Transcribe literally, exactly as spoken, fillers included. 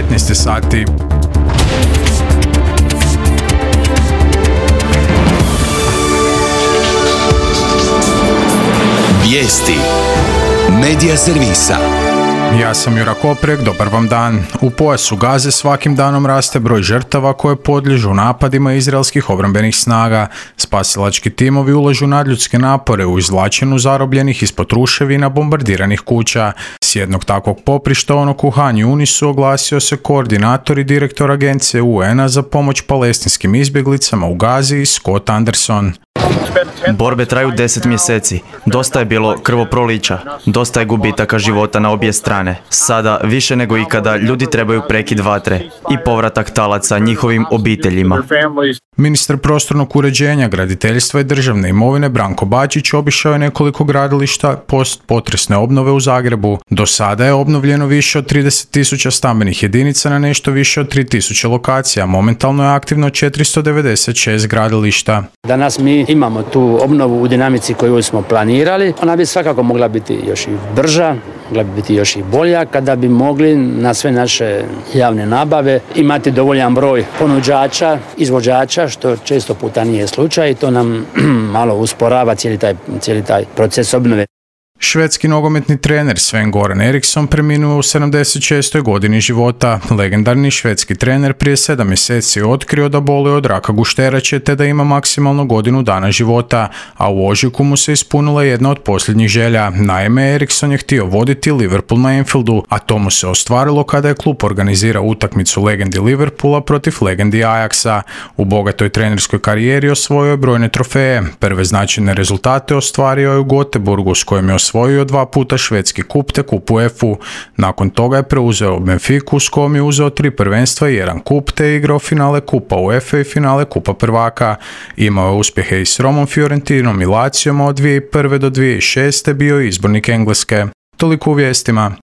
devetnaest sati. Vijesti Medija servisa. Ja sam Jura Koprek, dobar vam dan. U pojasu Gaze svakim danom raste broj žrtava koje podliježu napadima izraelskih obrambenih snaga. Spasilački timovi ulažu nadljudske napore u izvlačenju zarobljenih ispod ruševina bombardiranih kuća. S jednog takvog poprišta onog u Han Yunisu oglasio se koordinator i direktor agencije U N-a za pomoć palestinskim izbjeglicama u Gazi, Scott Anderson. Borbe traju deset mjeseci. Dosta je bilo krvoprolića. Dosta je gubitaka života na obje strane. Sada, više nego ikada, ljudi trebaju prekid vatre i povratak talaca njihovim obiteljima. Ministar prostornog uređenja, graditeljstva i državne imovine Branko Bačić obišao je nekoliko gradilišta post potresne obnove u Zagrebu. Do sada je obnovljeno više od trideset tisuća stambenih jedinica na nešto više od tri tisuće lokacija. Momentalno je aktivno četiristo devedeset šest gradilišta. Danas mi imamo tu obnovu u dinamici koju smo planirali. Ona bi svakako mogla biti još i brža, mogla bi biti još i bolja kada bi mogli na sve naše javne nabave imati dovoljan broj ponuđača, izvođača, što često puta nije slučaj i to nam malo usporava cijeli taj, cijeli taj proces obnove. Švedski nogometni trener Sven-Goran Eriksson preminuo u sedamdeset šestoj godini života. Legendarni švedski trener prije sedam mjeseci otkrio da boluje od raka gušterače te da ima maksimalno godinu dana života, a u ožujku mu se ispunila jedna od posljednjih želja. Naime, Eriksson je htio voditi Liverpool na Anfieldu, a to mu se ostvarilo kada je klub organizirao utakmicu legendi Liverpoola protiv legendi Ajaxa. U bogatoj trenerskoj karijeri osvojio je brojne trofeje. Prve značajne rezultate ostvario je u Göteborgu s kojim je osvojio dva puta švedski kup te kup UEFA. Nakon toga je preuzeo Benfiku s kojom je uzeo tri prvenstva i jedan kup te igrao finale kupa UEFA i finale kupa prvaka. Imao je uspjehe i s Romom, Fiorentinom i Lacijom, a od dvije tisuće prve do dvije tisuće šeste bio je izbornik Engleske. Toliko u vijestima.